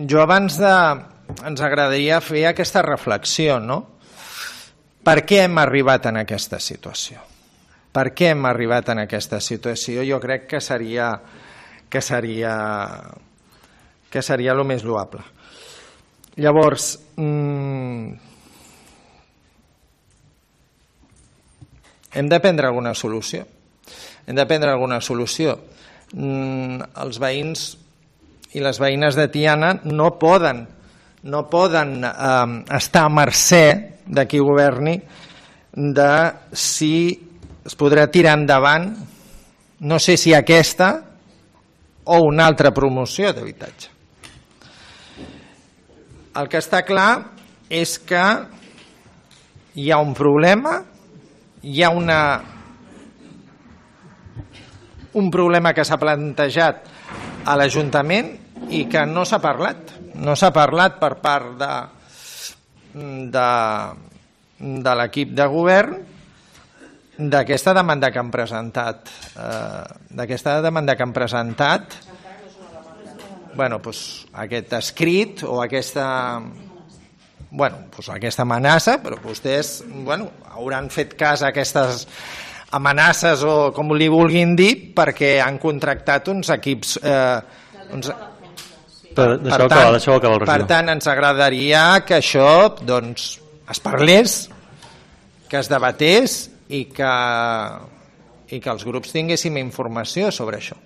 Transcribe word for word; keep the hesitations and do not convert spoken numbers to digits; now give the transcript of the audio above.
jo abans de... ens agradaria fer aquesta reflexió, no? Per què hem arribat en aquesta situació? Per què hem arribat en aquesta situació? Jo crec que seria que seria que seria el més loable. Llavors, mmm, hem de prendre alguna solució. Hem de prendre alguna solució. Mm, els veïns i les veïnes de Tiana no poden no poden eh, estar a mercè de qui governi de si es podrà tirar endavant, no sé si aquesta o una altra promoció d'habitatge. El que està clar és que hi ha un problema, hi ha una, un problema que s'ha plantejat a l'Ajuntament i que no s'ha parlat. No s'ha parlat per part de, de, de l'equip de govern d'aquesta demanda que han presentat. Eh, d'aquesta demanda que han presentat, bueno, doncs, aquest escrit o aquesta, bueno, doncs, aquesta amenaça, però vostès bueno, hauran fet cas a aquestes amenaces o com li vulguin dir perquè han contractat uns equips... Eh, uns, Per, per, tant, acabar, acabar el per tant, ens agradaria que això doncs, es parlés, que es debatés i que, i que els grups tinguéssim informació sobre això.